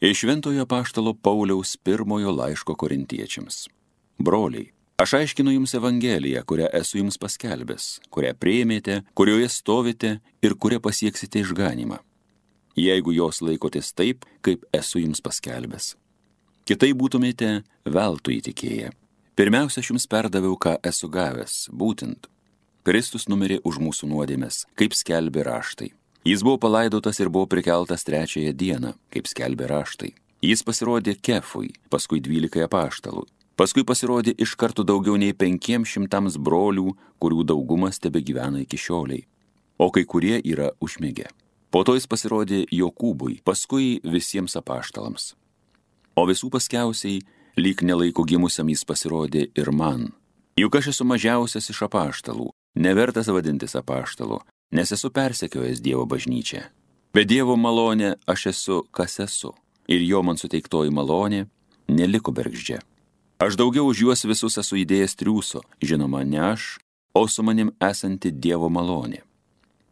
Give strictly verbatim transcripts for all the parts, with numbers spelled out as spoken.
Iš Šventojo apaštalo Pauliaus pirmojo laiško korintiečiams. Broliai, aš aiškinu jums Evangeliją, kurią esu jums paskelbęs, kurią priėmėte, kurioje stovite ir kurią pasieksite išganymą, jeigu jos laikotės taip, kaip esu jums paskelbęs. Kitai būtumėte veltui įtikėję. Pirmiausia, aš jums perdaviau, ką esu gavęs, būtent. Kristus numirė už mūsų nuodėmes, kaip skelbė raštai. Jis buvo palaidotas ir buvo prikeltas trečiąją dieną, kaip skelbė raštai. Jis pasirodė Kefui, paskui dvylikai apaštalų. Paskui pasirodė iš karto daugiau nei penkiems šimtams brolių, kurių daugumas tebegyvena iki šioliai, o kai kurie yra užmigę. Po to jis pasirodė Jokūbui, paskui visiems apaštalams. O visų paskiausiai, lyg nelaiko gimusiam jis pasirodė ir man. Juk aš esu mažiausias iš apaštalų, nevertas vadintis apaštalu, nes esu persekiojęs Dievo bažnyčią. Bet Dievo malonė aš esu, kas esu, ir jo man suteiktoji malonė neliko bergždžia. Aš daugiau už juos visus esu įdėjęs triūso, žinoma, ne aš, o su manim esanti Dievo malonė.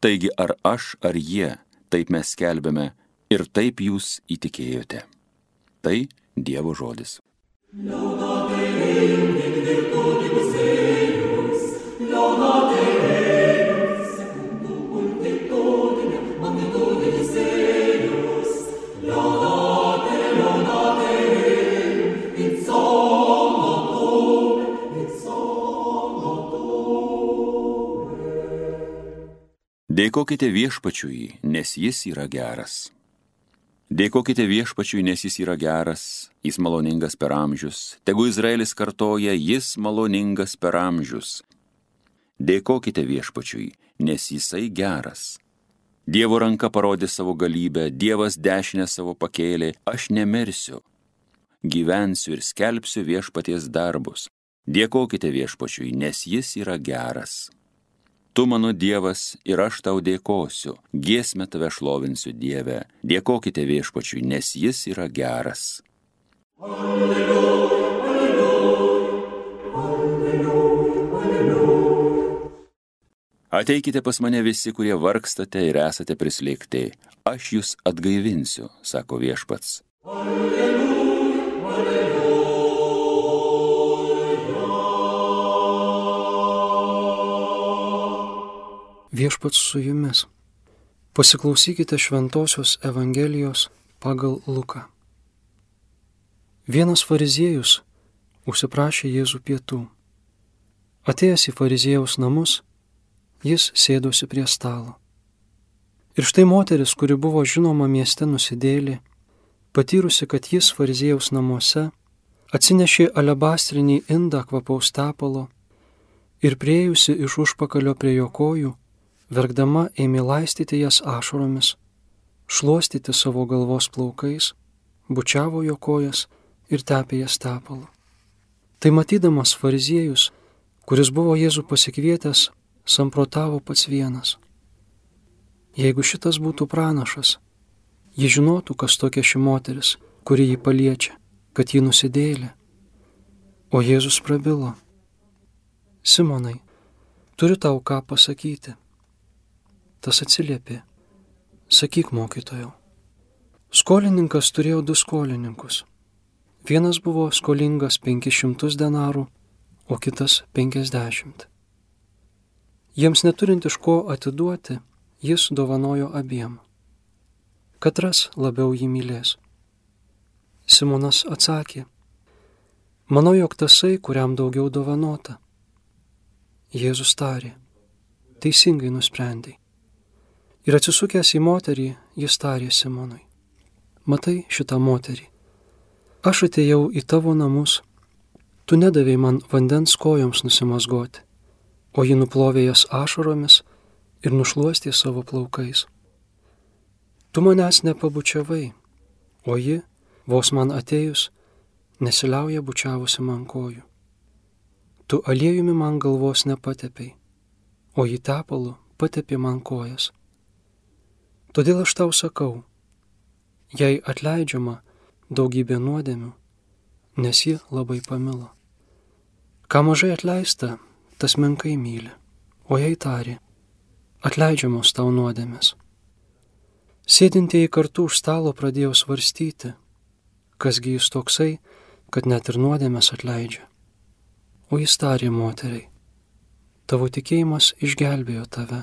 Taigi ar aš, ar jie, taip mes skelbėme ir taip jūs įtikėjote. Tai Dievo žodis. Laudate Deum in virtutibus eius, laudate Deum secundum multitudinem magnitudinis eius, laudate, laudate Deum in somnotum, in somnotum. Dėkokite Viešpačiui, nes jis yra geras. Dėkokite Viešpačiui, nes jis yra geras, jis maloningas per amžius. Tegu Izraelis kartoja, jis maloningas per amžius. Dėkokite Viešpačiui, nes jisai geras. Dievo ranka parodė savo galybę, Dievas dešinę savo pakėlė, aš nemirsiu. Gyvensiu ir skelbsiu Viešpaties darbus. Dėkokite Viešpačiui, nes jis yra geras. Tu mano Dievas ir aš tau dėkosiu, giesmę tave šlovinsiu Dieve, dėkokite Viešpačiui, nes jis yra geras. Alleluja, alleluja, alleluja, alleluja. Ateikite pas mane visi, kurie vargstate ir esate prislėgti, aš jūs atgaivinsiu, sako Viešpats. Alleluja, alleluja. Viešpats su jumis. Pasiklausykite šventosios Evangelijos pagal Luką. Vienas fariziejus užsiprašė Jėzų pietų. Atėjęs į fariziejaus namus, jis sėdosi prie stalo. Ir štai moteris, kuri buvo žinoma mieste nusidėjėlė, patyrusi, kad jis fariziejaus namuose, atsinešė alebastrinį indą kvapaus tepalo ir priėjusi iš užpakalio prie jo kojų, verkdama ėmė laistyti jas ašaromis, šluostyti savo galvos plaukais, bučiavo jo kojas ir tepė jas tepalu. Tai matydamas fariziejus, kuris buvo Jėzų pasikvietęs, samprotavo pats vienas. Jeigu šitas būtų pranašas, ji žinotų, kas tokia ši moteris, kuri jį paliečia, kad ji nusidėjėlė. O Jėzus prabilo. Simonai, turiu tau ką pasakyti. Tas atsiliepė, sakyk mokytojau. Skolininkas turėjo du skolininkus. Vienas buvo skolingas penkis šimtus denarų, o kitas penkiasdešimt. Jiems neturint iš ko atiduoti, jis dovanojo abiem. Katras labiau jį mylės? Simonas atsakė, manau, jog tasai, kuriam daugiau dovanota. Jėzus tarė, teisingai nusprendei. Ir atsisukęs į moterį, jis tarė Simonui, matai šitą moterį, aš atėjau į tavo namus, tu nedavei man vandens kojoms nusimazgoti, o ji nuplovė jas ašaromis ir nušluostė savo plaukais. Tu manęs nepabučiavai, o ji, vos man atėjus, nesiliauja bučiavusi man kojų. Tu aliejumi man galvos nepatepei, o ji tepalu patepė man kojas. Todėl aš tau sakau, jai atleidžiama daugybė nuodėmių, nes ji labai pamilo. Ką mažai atleista, tas menkai myli, o jai tarė, atleidžiamos tau nuodėmės. Sėdintieji kartu už stalo pradėjo svarstyti, kasgi jis toksai, kad net ir nuodėmes atleidžia. O jis tarė moteriai, tavo tikėjimas išgelbėjo tave,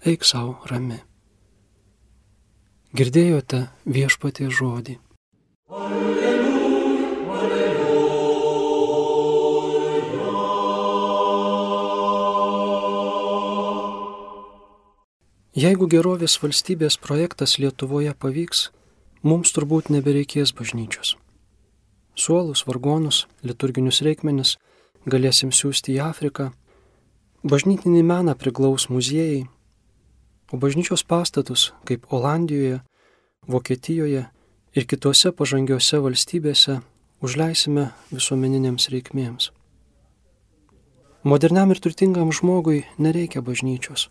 eik savo rami. Girdėjote viešpaties žodį. Alleluja, alleluja. Jeigu gerovės valstybės projektas Lietuvoje pavyks, mums turbūt nebereikės bažnyčios. Suolus, vargonus, liturginius reikmenis galėsim siųsti į Afriką, bažnytinį meną priglaus muziejai, o bažnyčios pastatus, kaip Olandijoje, Vokietijoje ir kitose pažangiose valstybėse, užleisime visuomeninėms reikmėms. Moderniam ir turtingam žmogui nereikia bažnyčios,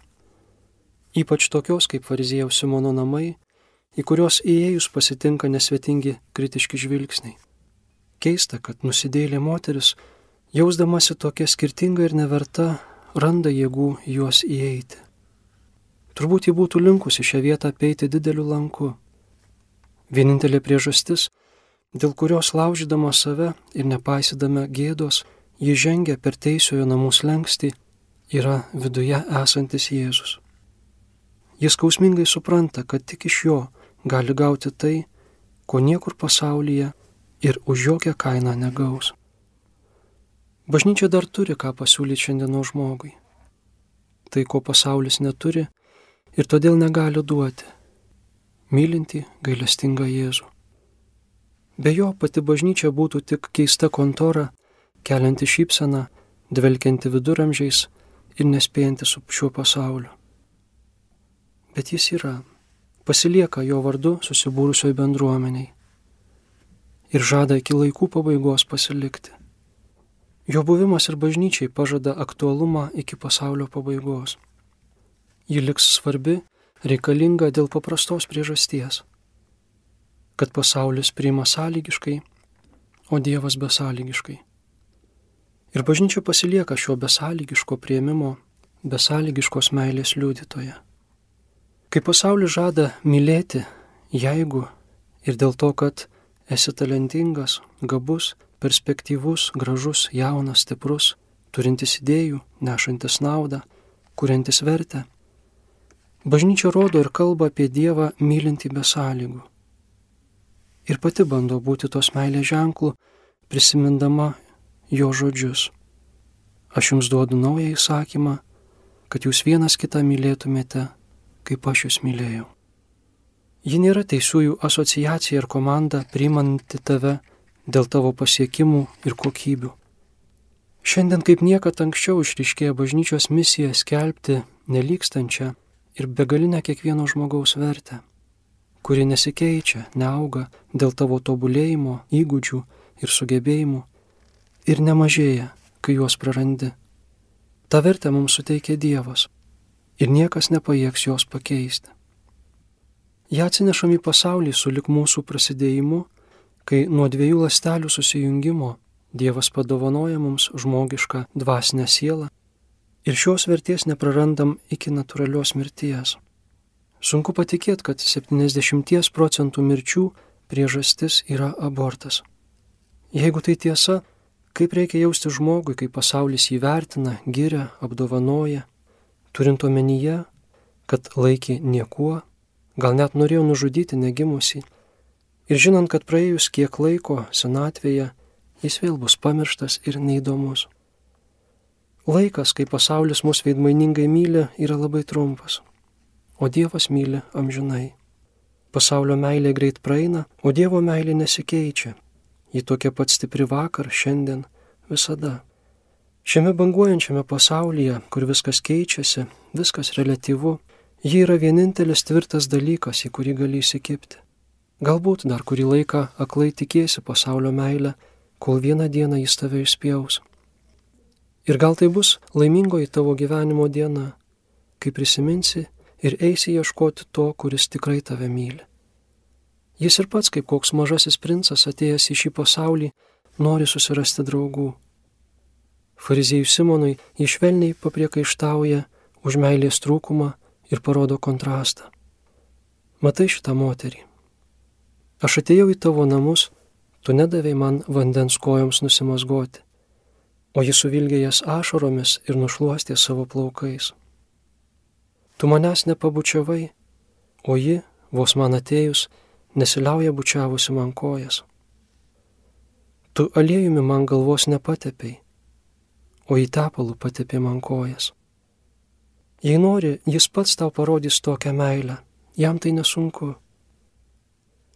ypač tokios kaip fariziejaus Simono namai, į kurios įėjus pasitinka nesvetingi kritiški žvilgsniai. Keista, kad nusidėjėlė moteris, jausdamasi tokia skirtinga ir neverta, randa jėgų juos įeiti. Turbūt ji būtų linkusi šią vietą apeiti dideliu lanku. Vienintelė priežastis, dėl kurios laužydama save ir nepaisydama gėdos, ji žengia per teisiojo namų slenkstį, yra viduje esantis Jėzus. Jis skausmingai supranta, kad tik iš jo gali gauti tai, ko niekur pasaulyje ir už jokią kainą negaus. Bažnyčia dar turi ką pasiūlyti šiandienos žmogui. Tai, ko pasaulis neturi ir todėl negali duoti. Mylintį, gailestingą Jėzų. Be jo pati bažnyčia būtų tik keista kontora, kelianti šypseną, dvelkianti viduramžiais ir nespėjanti su šiuo pasauliu. Bet jis yra, pasilieka jo vardu susibūrusioj bendruomeniai ir žada iki laikų pabaigos pasilikti. Jo buvimas ir bažnyčiai pažada aktualumą iki pasaulio pabaigos. Ji liks svarbi, reikalinga dėl paprastos priežasties, kad pasaulis priima sąlygiškai, o Dievas besąlygiškai. Ir bažnyčia pasilieka šio besąlygiško priėmimo, besąlygiškos meilės liudytoje. Kai pasaulis žada mylėti, jeigu ir dėl to, kad esi talentingas, gabus, perspektyvus, gražus, jaunas, stiprus, turintis idėjų, nešantis naudą, kuriantis vertę, bažnyčia rodo ir kalba apie Dievą mylintį be sąlygų. Ir pati bando būti tos meilės ženklų, prisimindama jo žodžius. Aš jums duodu naują įsakymą, kad jūs vienas kitą mylėtumėte, kaip aš jūs mylėjau. Ji nėra teisiųjų asociacija ir komanda priimanti tave dėl tavo pasiekimų ir kokybių. Šiandien kaip niekad anksčiau išryškėja bažnyčios misija skelbti nelykstančią ir begalinę kiekvieno žmogaus vertę, kuri nesikeičia, neauga dėl tavo tobulėjimo, įgūdžių ir sugebėjimų ir nemažėja, kai juos prarandi. Ta vertę mums suteikia Dievas ir niekas nepajėgs jos pakeisti. Ja atsinešam į pasaulį sulig mūsų prasidėjimu, kai nuo dviejų ląstelių susijungimo Dievas padovanoja mums žmogišką dvasinę sielą ir šios vertės neprarandam iki natūralios mirties. Sunku patikėti, kad septyniasdešimt procentų mirčių priežastis yra abortas. Jeigu tai tiesa, kaip reikia jausti žmogui, kai pasaulis jį vertina, giria, apdovanoja, turint omenyje, kad laikė niekuo, gal net norėjo nužudyti negimusį, ir žinant, kad praėjus kiek laiko senatvėje jis vėl bus pamirštas ir neįdomus. Laikas, kai pasaulis mus veidmainingai myli, yra labai trumpas, o Dievas myli amžinai. Pasaulio meilė greit praeina, o Dievo meilė nesikeičia. Ji tokia pat stipri vakar, šiandien, visada. Šiame banguojančiame pasaulyje, kur viskas keičiasi, viskas reliatyvu, ji yra vienintelis tvirtas dalykas, į kurį gali įsikibti. Galbūt dar kurį laiką aklai tikėsi pasaulio meilę, kol vieną dieną jis tave išspjaus. Ir gal tai bus laimingoji tavo gyvenimo diena, kai prisiminsi ir eisi ieškoti to, kuris tikrai tave myli. Jis ir pats, kaip koks mažasis princas atėjęs į šį pasaulį, nori susirasti draugų. Fariziejui Simonui jis švelniai papriekaištauja už meilės trūkumą ir parodo kontrastą. Matai šitą moterį. Aš atėjau į tavo namus, Tu nedavei man vandens kojoms nusimazgoti, o ji suvilgė jas ašaromis ir nušluostė savo plaukais. Tu manęs nepabučiavai, o ji, vos man atėjus, nesiliauja bučiavusi man kojas. Tu aliejumi man galvos nepatepei, o į tepalų patepė man kojas. Jei nori, jis pats tau parodys tokią meilę, jam tai nesunku.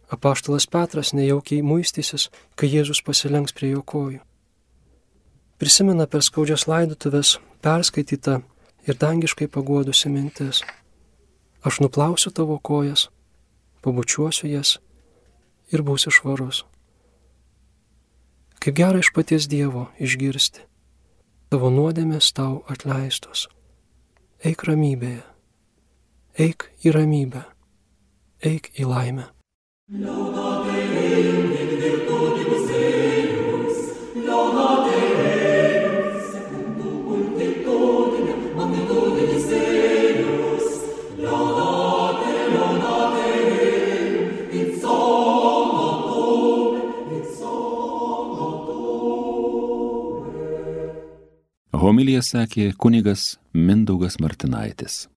Apaštalas Petras nejaukiai muistysis, kai Jėzus pasilenks prie jo kojų. Prisimena per skaudžias laidotuves perskaitytą ir dangiškai paguodusi mintis. Aš nuplausiu tavo kojas, pabučiuosiu jas ir būsiu švarus. Kaip gera iš paties Dievo išgirsti, tavo nuodėmės tau atleistos. Eik ramybėje, eik į ramybę, eik į laimę. Laudate Deum in virtutibus eius, laudate Deum secundum multitudinem magnitudibus eius, laudate, laudate Deum in somno tuum, in somno tuum. Homiliją sakė kunigas Mindaugas Martinaitis.